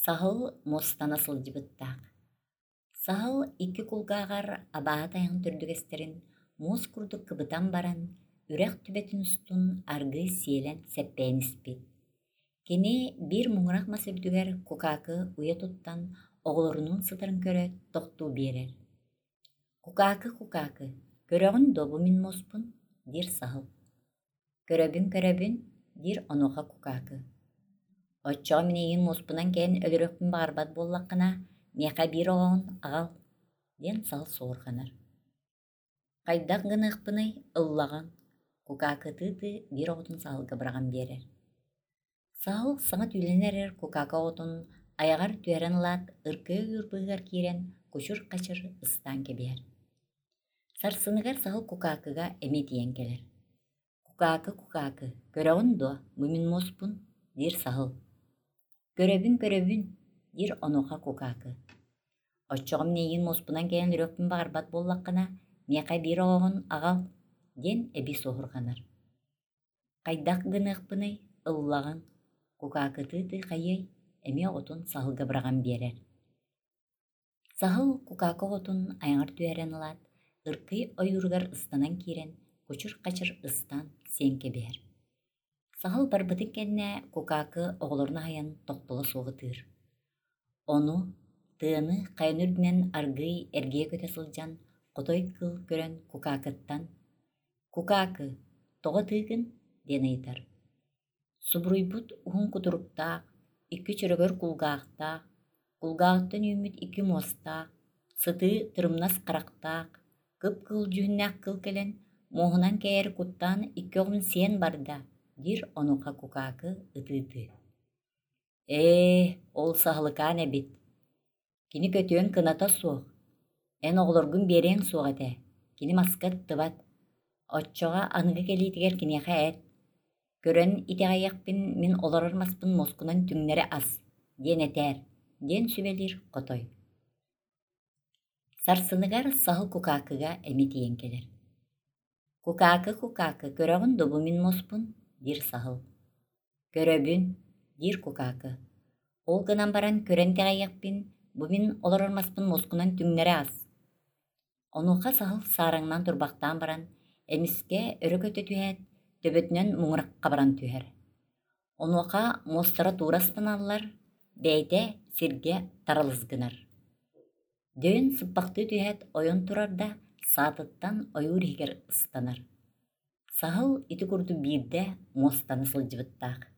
Саһыл муостана сылдьыбыттаах. Саһыл икки кулгааҕар абааһы тайаҕын төрдүгэстэрин муос курдук кыбытан баран, үрэх түбэтин устун аргыый сиэлэн сэппэйэн испит. Кини биир муҥурах мас үрдүгэр кукаакы уйа туттан оҕолорунуун сытарын көрөөт тохтуу биэрэр: «Кукаакы, кукаакы, көрөҕүн дуо бу мин муоспун?» диир саһыл. «Көрөбүн-көрөбүн» диир онуоха кукаакы. «Оччоҕо мин эйигин муоспунан кэйэн өлөрүөхпүн баҕарбат буоллаххына, миэхэ биир оҕоҕун аҕал» диэн саһыл суорҕанар. «Хайдах гыныахпыный, ыллаҕыҥ» кукаакытыы биир оҕотун саһылга быраҕан биэрэр. Саһыл саҥа түүлэнэн эрэр кукаака оҕотун айаҕар түһэрэн ылаат, ыркыйа ойуур быыһыгар киирэн кучур-хачыр ыстаан кэбиһэр. Сарсыныгар саһыл кукаакыга эмиэ тиийэн кэлэр. «Кукаакы, кукаакы, көрөҕүн дуо, бу мин муоспун?» диир саһыл. «Көрөбүн, көрөбүн» диир онуоха кукаакы. «Оччоҕо мин эйигин муоспунан кэлэн өлүөхпүн баҕарбат буоллаххына, миэхэ биир оҕоҕун аҕал» диэн эбии суоһурҕанар. Хайдах гыныахпыный, ыллаҕыҥ, кукаакытыы хайыай, эмиэ оҕотун саһылга быраҕан биэрэр. Саһыл кукаакы оҕотун айаҕар түһэрэн ылаат, ыркый ойууругар ыстанан киирэн, кучур-хачыр ыстаан сиэн кэбиһэр. Саһыл барбытын кэннэ кукаакы оҕолорун аһыйан тохтоло суох ытыыр. Ону тыаны хайаны үрдүнэн аргыый эргийэ көтө сылдьан хотой кыыл көрөн кукаакыттан «Кукаакы, тоҕо ытыыгын?» диэн ыйытар. Субуруйбут уһун кутуруктаах, икки чөрөгөр кулгаахтаах, кулгааҕыттан үүммүт икки муостаах, сытыы тырымнас харахтаах, кып-кыһыл дьүһүннээх кыл кэлэн, муоһунан кэйэр куттаан икки оҕун сиэн барда, диир онуоха кукаакы ытыы-ытыы. Ээ, ол саһылыкаан эбит. Кини көтүөн кыната суох, эн оҕолоргун биэриэҥ суох этэ, кини маска ыттыбат, оччоҕо аныгы кэлиитигэр киниэхэ эт, көрөн итэҕэйиэхпин мин олорор маспын муоскунан түҥнэри ас, диэн этээр, диэн сүбэлиир хотой. Сарсыныгар саһыл кукаакыга эмиэ тиийэн кэлэр. «Кукаакы, кукаакы, көрөҕүн дуо бу мин муоспун?» диир саһыл. «Көрөбүн» диир кукаакы. «Ол гынан баран көрөн итэҕэйиэхпин, бу мин олорор маспын муоскунан түҥнэри ас». Онуоха саһыл саараҥнаан турбахтаан баран, эмискэ өрө көтө түһээт, төбөтүнэн муҥурахха баран түһэр. Онуоха муостара туура ыстаналлар, бэйэтэ сиргэ таралыс гынар. Дөйөн сыппахтыы түһээт ойон турар да, саатыттан ойуур иһигэр ыстанар. Саһыл ити курдук биирдэ муостаны сылдьыбыттаах.